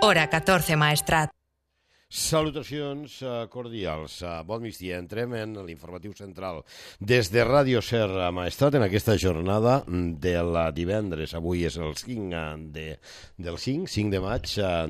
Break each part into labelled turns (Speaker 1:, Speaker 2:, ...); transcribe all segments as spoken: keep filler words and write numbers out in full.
Speaker 1: Hora catorze, Maestrat.
Speaker 2: Salutacions cordials. Bon migdia. Entrem en l'informatiu central des de Ràdio Ser Maestrat en aquesta jornada del divendres. Avui és el cinc de, del cinc, cinc de maig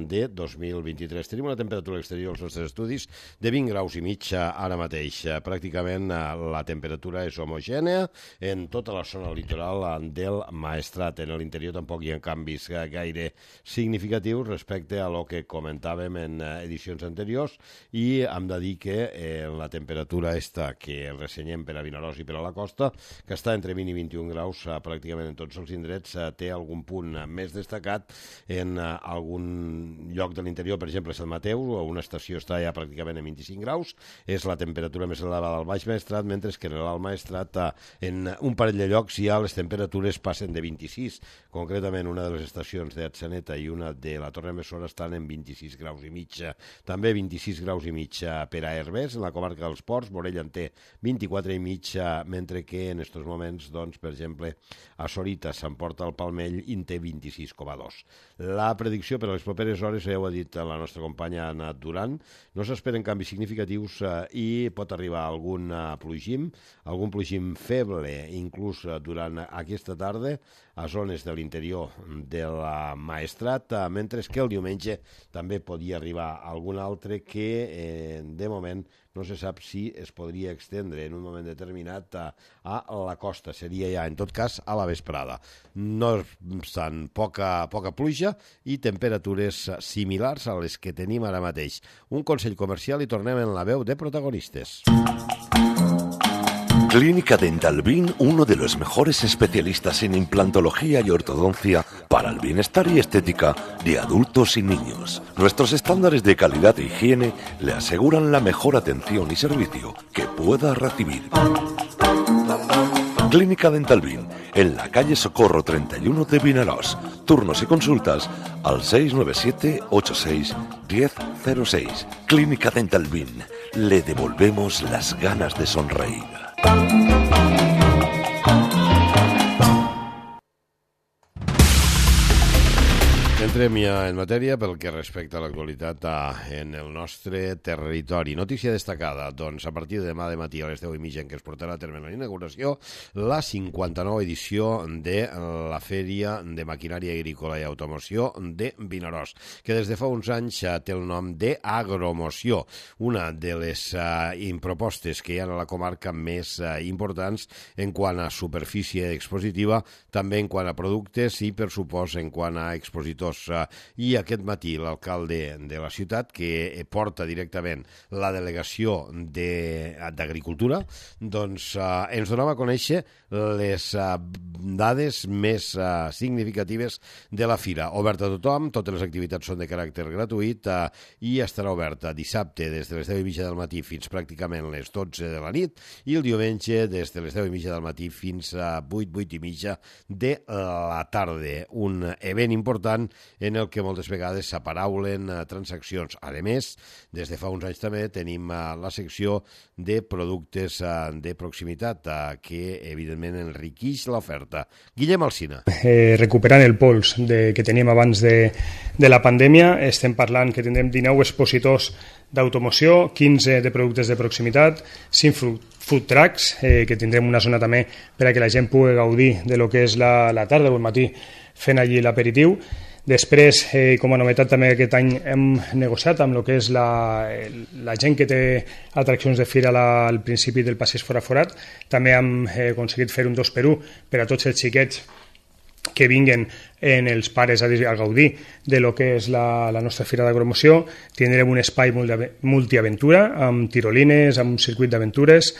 Speaker 2: de dos mil vint-i-tres. Tenim una temperatura exterior als nostres estudis de vint graus i mig ara mateix. Pràcticament la temperatura és homogènea en tota la zona litoral del Maestrat. En l'interior tampoc hi ha canvis gaire significatius respecte a lo que comentàvem en edicions anteriors, i hem de dir que eh, la temperatura esta que ressenyem per a Vinaròs i per a la costa, que està entre vint i vint-i-un graus eh, pràcticament en tots els indrets, eh, té algun punt més destacat en eh, algun lloc de l'interior, per exemple Sant Mateu, una estació està ja pràcticament a vint-i-cinc graus, és la temperatura més elevada al Baix Maestrat, mentre que en l'Alt Maestrat eh, en un parell de llocs ja les temperatures passen de vint-i-sis, concretament una de les estacions d'Atzeneta i una de la Torre Mesora estan en vint-i-sis graus i mig. També vint-i-sis graus i mig per a Herbers, en la comarca dels Ports. Morella en té vint-i-quatre i mig, mentre que en aquests moments, doncs, per exemple, a Sorita, Sant Porta al Palmell, en té vint-i-sis coma dos. La predicció per a les properes hores, ja ho ha dit la nostra companya Anna Duran, no s'esperen canvis significatius eh, i pot arribar algun eh, plogim, algun plogim feble, inclús eh, durant aquesta tarda, a zones de l'interior de la Maestrat, eh, mentre que el diumenge també podia arribar algun altre que, eh, de moment, no se sap si es podria extendre en un moment determinat a, a la costa. Seria ja, en tot cas, a la vesprada. No obstant, poca, poca pluja i temperatures similars a les que tenim ara mateix. Un consell comercial i tornem en la veu de protagonistes.
Speaker 3: Clínica Dental Bin, uno de los mejores especialistas en implantología y ortodoncia para el bienestar y estética de adultos y niños. Nuestros estándares de calidad e higiene le aseguran la mejor atención y servicio que pueda recibir. Clínica Dental Bin, en la calle Socorro treinta y uno de Vinaròs. Turnos y consultas al seis nueve siete ocho seis uno cero cero seis. Clínica Dental Bin, le devolvemos las ganas de sonreír.
Speaker 2: Entrem ja en matèria pel que respecta a l'actualitat en el nostre territori. Notícia destacada, doncs, a partir de demà de matí a les deu i mitja en què es portarà a terme la inauguració, la cinquanta-nova edició de la Fèria de Maquinària Agrícola i Automoció de Vinaròs, que des de fa uns anys té el nom d'Agromoció, una de les uh, propostes que hi ha a la comarca més uh, importants en quant a superfície expositiva, també en quant a productes i, per supost, en quant a expositors. I aquest matí l'alcalde de la ciutat, que porta directament la delegació d'Agricultura, doncs eh, ens donava a conèixer les eh, dades més eh, significatives de la fira. Oberta a tothom, totes les activitats són de caràcter gratuït eh, i estarà oberta dissabte des de les deu i mitja del matí fins pràcticament les dotze de la nit i el diumenge des de les deu i mitja del matí fins a vuit, vuit i mitja de la tarda. Un event important en el que moltes vegades s'aparaulen uh, transaccions. A més, des de fa uns anys també tenim uh, la secció de productes uh, de proximitat uh, que, evidentment, enriqueix l'oferta. Guillem Alsina.
Speaker 4: Eh, recuperant el pols de, que teníem abans de, de la pandèmia, estem parlant que tindrem dinou expositors d'automoció, quinze de productes de proximitat, cinc food trucks, eh, que tindrem una zona també per a que la gent pugui gaudir de lo que és la, la tarda o el matí fent allí l'aperitiu. Després, eh, com a novetat també aquest any hem negociat amb el que és la, la gent que té atraccions de fira la, al principi del passeig fora forat. També hem eh, aconseguit fer un dos per un per a tots els xiquets que vinguen en els pares a, a gaudir de lo que és la, la nostra fira d'agromoció. Tindrem un espai multiaventura amb tirolines, amb un circuit d'aventures.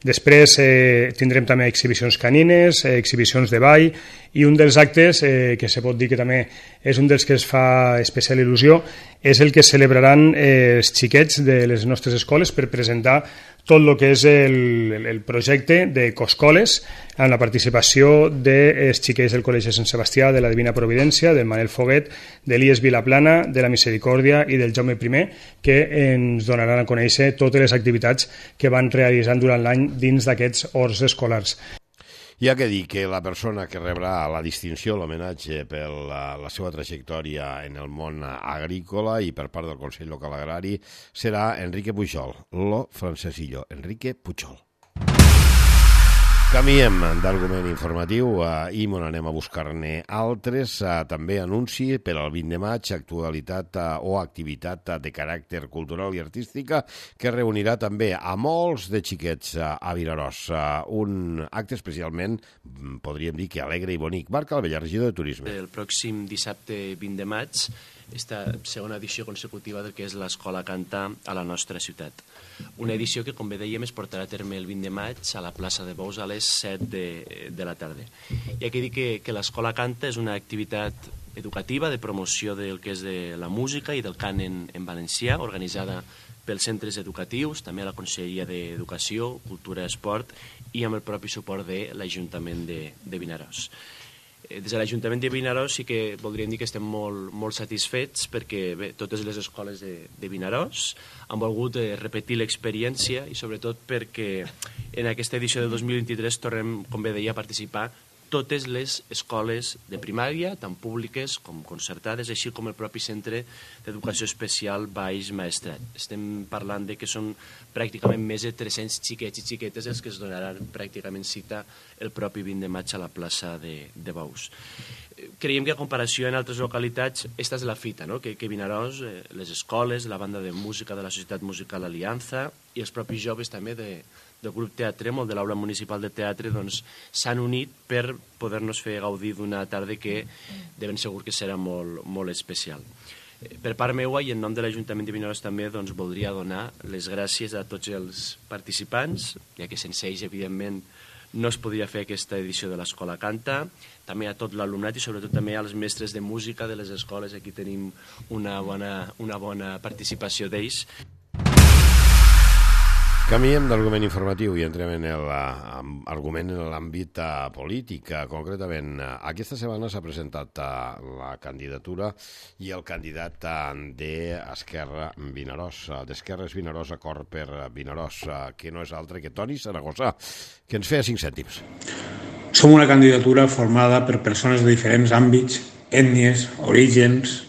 Speaker 4: Després eh, tindrem també exhibicions canines, eh, exhibicions de ball, i un dels actes eh, que se pot dir que també és un dels que es fa especial il·lusió és el que celebraran eh, els xiquets de les nostres escoles per presentar tot el que és el, el projecte de Coscoles amb la participació dels xiquets del Col·legi Sant Sebastià, de la Divina Providència, del Manel Foguet, de l'I E S Vilaplana, de la Misericòrdia i del Jaume primer, que ens donaran a conèixer totes les activitats que van realitzant durant l'any dins d'aquests horts escolars.
Speaker 2: Hi ha que dir que la persona que rebrà la distinció, l'homenatge per la, la seva trajectòria en el món agrícola i per part del Consell Local Agrari serà Enrique Pujol, lo francesillo, Enrique Pujol. Canviem d'argument informatiu uh, i me n'anem a buscar-ne altres. Uh, també anunci per al vint de maig actualitat uh, o activitat uh, de caràcter cultural i artística que reunirà també a molts de xiquets uh, a Vinaròs. Uh, un acte especialment, podríem dir que alegre i bonic. Marc Albella, regidor de Turisme.
Speaker 1: El pròxim dissabte vint de maig, esta segona edició consecutiva del que és l'Escola Canta a la nostra ciutat. Una edició que, com bé dèiem, es portarà a terme el vint de maig a la plaça de Bous a les set de, de la tarda. Hi ha que dir que, que l'Escola Canta és una activitat educativa de promoció del que és de la música i del cant en, en valencià, organitzada pels centres educatius, també a la Conselleria d'Educació, Cultura i Esport i amb el propi suport de l'Ajuntament de, de Vinaròs. Des de l'Ajuntament de Vinaròs sí que voldríem dir que estem molt, molt satisfets perquè bé, totes les escoles de, de Vinaròs han volgut eh, repetir l'experiència i sobretot perquè en aquesta edició de dos mil vint-i-tres tornem, com bé deia, a participar totes les escoles de primària, tant públiques com concertades, així com el propi Centre d'Educació Especial Baix Maestrat. Estem parlant de que són pràcticament més de tres-cents xiquets i xiquetes els que es donaran pràcticament cita el propi vint de maig a la plaça de, de Bous. Creiem que a comparació en altres localitats, esta és la fita, no? que, que Vinaròs, eh, les escoles, la banda de música de la Societat Musical Aliança i els propis joves també de, del grup Teatre, molt de l'Aula Municipal de Teatre, doncs s'han unit per poder-nos fer gaudir d'una tarda que de ben segur que serà molt, molt especial. Per part meua i en nom de l'Ajuntament de Vinaròs també doncs, voldria donar les gràcies a tots els participants, ja que sense ells, evidentment, no es podria fer aquesta edició de l'Escola Canta, també a tot l'alumnat i sobretot també als mestres de música de les escoles. Aquí tenim una bona, una bona participació d'ells.
Speaker 2: Canviem d'argument informatiu i entrem en l'argument en l'àmbit polític. Concretament, aquesta setmana s'ha presentat la candidatura i el candidat d'Esquerra Vinaròs, d'Esquerres Vinaròs, Acord per Vinaròs, que no és altre que Toni Saragossa, que ens feia cinc cèntims.
Speaker 5: Som una candidatura formada per persones de diferents àmbits, ètnies, orígens,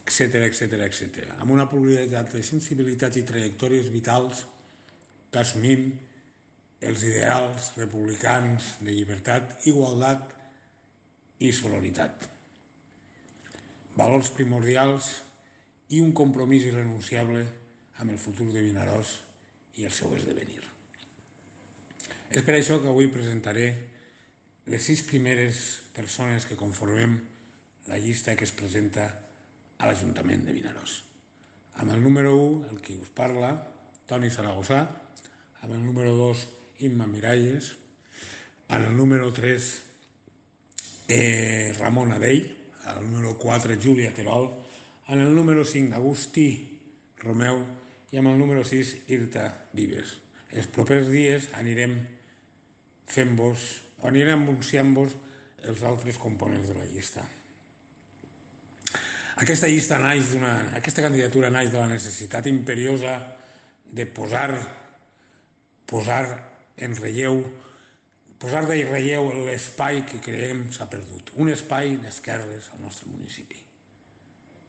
Speaker 5: etcètera, etcètera, etcètera, amb una pluralitat de sensibilitats i trajectòries vitals que assumim els ideals republicans de llibertat, igualtat i solidaritat. Valors primordials i un compromís irrenunciable amb el futur de Vinaròs i el seu esdevenir. És per això que avui presentaré les sis primeres persones que conformem la llista que es presenta a l'Ajuntament de Vinaròs. Amb el número u, el que us parla, Toni Saragossa, amb el número dos, Imma Miralles, amb el número tres, eh, Ramon Adell, amb el número quatre, Júlia Terol, amb el número cinc, Agustí Romeu i amb el número sis, Irta Vives. Els propers dies anirem fent-vos, o anirem anunciant-vos els altres components de la llista. Aquesta llista naix d'una, aquesta candidatura naix de la necessitat imperiosa de posar, posar en relleu, posar de relleu l'espai que creiem s'ha perdut. Un espai d'esquerres al nostre municipi.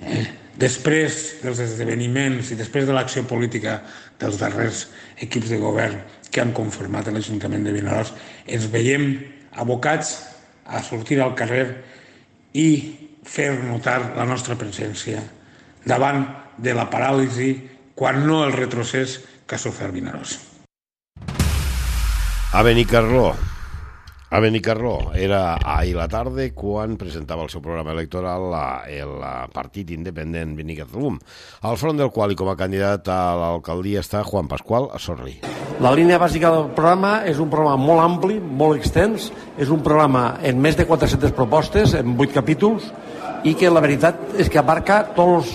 Speaker 5: Eh? Després dels esdeveniments i després de l'acció política dels darrers equips de govern que han conformat l'Ajuntament de Vinaròs, ens veiem abocats a sortir al carrer i fer notar la nostra presència davant de la paràlisi, quan no el retrocés que ha sofert Vinaròs.
Speaker 2: A Benicarló. A Benicarló era ahir la tarda quan presentava el seu programa electoral el partit independent Benicarló, al front del qual i com a candidat a l'alcaldia està Juan Pascual Sorri.
Speaker 6: La línia bàsica del programa és un programa molt ampli, molt extens, és un programa en més de quatre-centes propostes, en vuit capítols, i que la veritat és que abarca tots,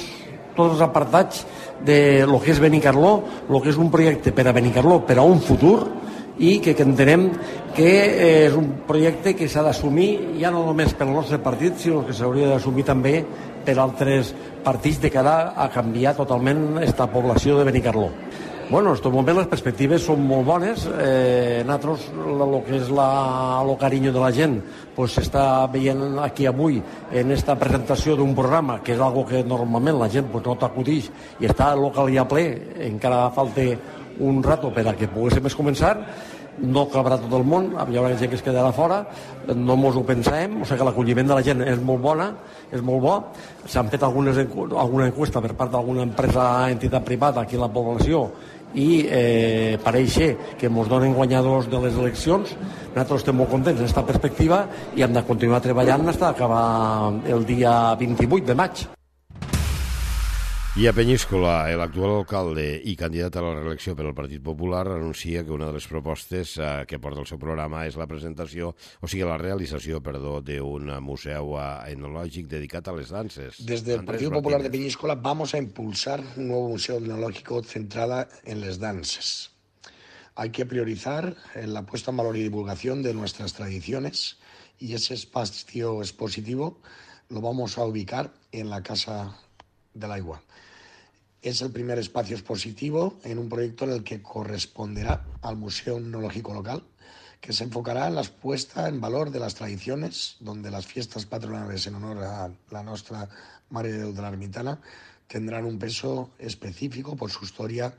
Speaker 6: tots els apartats de lo que és Benicarló, lo que és un projecte per a Benicarló, per a un futur, i que, que entenem que és un projecte que s'ha d'assumir ja no només pel nostre partit, sinó que s'hauria d'assumir també per altres partits de cara a canviar totalment aquesta població de Benicarló. Bueno, en aquest moment les perspectives són molt bones. Eh, nosaltres, el que és la, el carinyo de la gent, pues, s'està veient aquí avui en esta presentació d'un programa, que és algo que normalment la gent pues, no t'acudix, i està el local ja ple, encara falta un rato per a que poguéssim començar. No cabrà tot el món, hi haurà gent que es quedarà fora, no mos ho pensem, o sigui que l'acolliment de la gent és molt bona, és molt bo. S'han fet algunes, alguna encuesta per part d'alguna empresa, entitat privada aquí a la població, i eh, pareix que ens donen guanyadors de les eleccions. Nosaltres estem molt contents en aquesta perspectiva i hem de continuar treballant fins a acabar el dia vint-i-vuit de maig.
Speaker 2: I a Penyíscola, l'actual alcalde i candidat a la reelecció per al Partit Popular anuncia que una de les propostes eh, que porta el seu programa és la presentació, o sigui, la realització, perdó, d'un museu etnològic dedicat a les danses.
Speaker 7: Desde el Partido Popular de Peñíscola vamos a impulsar un nuevo museo etnológico centrado en las danzas. Hay que priorizar la puesta en valor y divulgación de nuestras tradiciones y ese espacio expositivo lo vamos a ubicar en la Casa del Aigua. Es el primer espacio expositivo en un proyecto en el que corresponderá al Museo Etnológico Local, que se enfocará en la puesta en valor de las tradiciones, donde las fiestas patronales en honor a la Nostra Mare de Déu de l'Ermitana tendrán un peso específico por su historia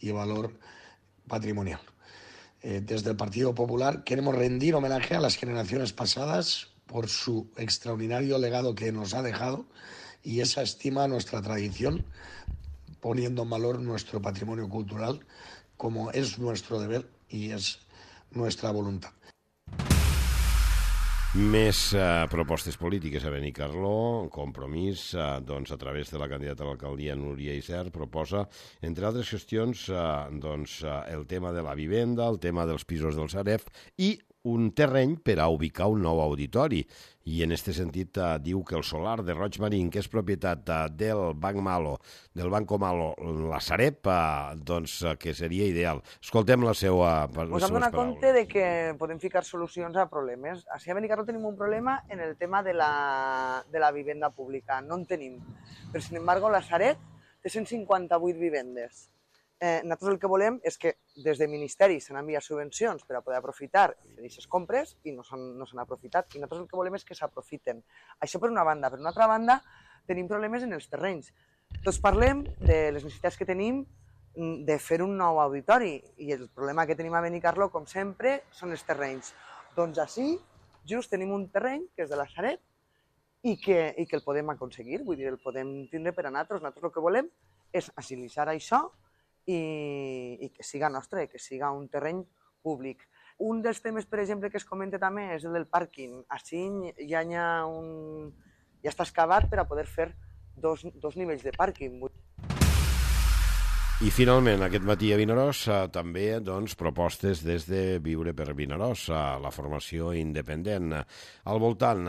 Speaker 7: y valor patrimonial. Eh, desde el Partido Popular queremos rendir homenaje a las generaciones pasadas por su extraordinario legado que nos ha dejado y esa estima a nuestra tradición, poniendo en valor nuestro patrimonio cultural como es nuestro deber y es nuestra voluntat.
Speaker 2: Més eh, propostes polítiques a Benicarló. Compromís, eh, doncs, a través de la candidata a l'alcaldia Núria Isern, proposa, entre altres qüestions, eh, doncs, eh, el tema de la vivenda, el tema dels pisos del Sareb i un terreny per a ubicar un nou auditori. I en aquest sentit eh, diu que el solar de Roig Marín, que és propietat eh, del Banc Malo, del Banco Malo, la Sareb, eh, doncs eh, que seria ideal. Escoltem la seva les
Speaker 8: Us hem donat compte de que podem ficar solucions a problemes. Així a Benicarló tenim un problema en el tema de la, de la vivenda pública. No en tenim. Però, sin embargo, la Sareb té cent cinquanta-vuit vivendes. Eh, nosaltres el que volem és que des del Ministeri s'han enviat subvencions per a poder aprofitar i fer aquestes compres i no s'han no s'han aprofitat. I nosaltres el que volem és que s'aprofiten. Això per una banda. Per una altra banda, tenim problemes en els terrenys. Tots parlem de les necessitats que tenim de fer un nou auditori i el problema que tenim a Benicarló, com sempre, són els terrenys. Doncs així, just tenim un terreny que és de la Sareb i que, i que el podem aconseguir, vull dir, el podem tindre per a nosaltres. Nosaltres el que volem és agilitzar això i, i que siga nostre, que siga un terreny públic. Un dels temes, per exemple, que es comenta també és el del pàrquing. Així ja, hi ha un, ja està excavat per a poder fer dos, dos nivells de pàrquing.
Speaker 2: I finalment, aquest matí a Vinaròs, eh, també doncs, propostes des de Viure per Vinaròs, eh, la formació independent, al voltant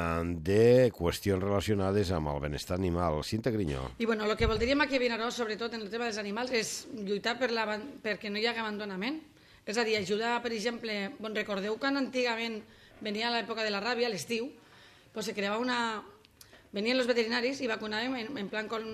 Speaker 2: de qüestions relacionades amb el benestar animal. Cinta Grinyó.
Speaker 9: I bueno, el que voldríem aquí a Vinaròs, sobretot en el tema dels animals, és lluitar per la, perquè no hi hagi abandonament. És a dir, ajudar, per exemple, bon, recordeu quan antigament venia l'època de la ràbia, a l'estiu, pues se creava una... Venien els veterinaris i vacunàvem en, en plan con...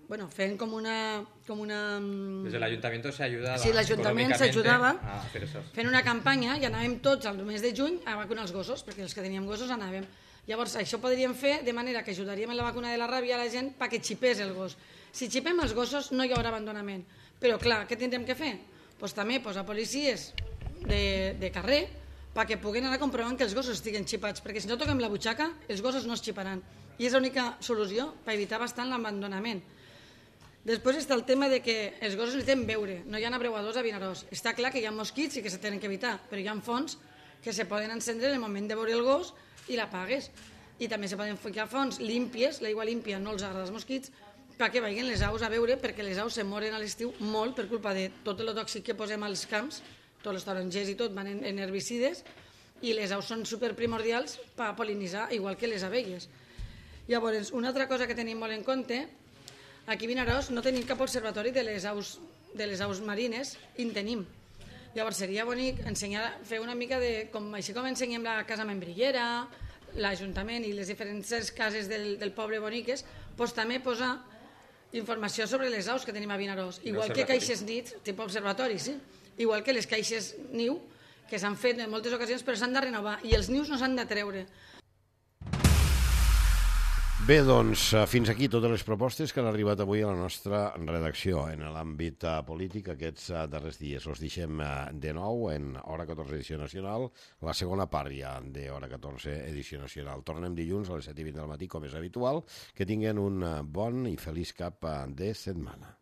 Speaker 9: Bueno, fent com una... Com una...
Speaker 10: Desde el ayuntamiento se ayudaba.
Speaker 9: Sí, l'Ajuntament s'ajudava
Speaker 10: eso.
Speaker 9: Fent una campanya i anàvem tots al mes de juny a vacunar els gossos, perquè els que teníem gossos anàvem. Llavors, això podríem fer de manera que ajudaríem en la vacuna de la ràbia a la gent perquè xipés el gos. Si xipem els gossos no hi haurà abandonament. Però, clar, què tindrem que fer? Pues també posar policies de, de carrer perquè puguen anar comprovant que els gossos estiguen xipats, perquè si no toquem la butxaca, els gossos no es xiparan. I és l'única solució per evitar bastant l'abandonament. Després està el tema de que els gossos necessiten beure, no hi ha abreuadors a Vinaròs. Està clar que hi ha mosquits i que se tenen que evitar, però hi ha fonts que se poden encendre en el moment de veure el gos i l'apagues. I també se poden ficar fonts límpies, l'aigua límpia no els agrada als mosquits, perquè vagin les aus a beure, perquè les aus se moren a l'estiu molt per culpa de tot el tòxic que posem als camps, tots els tarongers i tot van en, en herbicides, i les aus són superprimordials per pol·linitzar, igual que les abelles. Llavors, una altra cosa que tenim molt en compte, aquí a Vinaròs no tenim cap observatori de les aus, de les aus marines i en tenim. Llavors seria bonic ensenyar, fer una mica de... Com, així com ensenyem la casa membrillera, l'Ajuntament i les diferents cases del, del poble boniques, doncs també posar informació sobre les aus que tenim a Vinaròs. Igual que caixes nits, tipus observatori, sí. Igual que les caixes niu, que s'han fet en moltes ocasions, però s'han de renovar. I els nius no s'han de treure.
Speaker 2: Bé, doncs, fins aquí totes les propostes que han arribat avui a la nostra redacció. En l'àmbit polític, aquests darrers dies els deixem de nou en Hora catorze edició nacional, la segona part ja de Hora catorze edició nacional. Tornem dilluns a les set i vint del matí, com és habitual. Que tinguen un bon i feliç cap de setmana.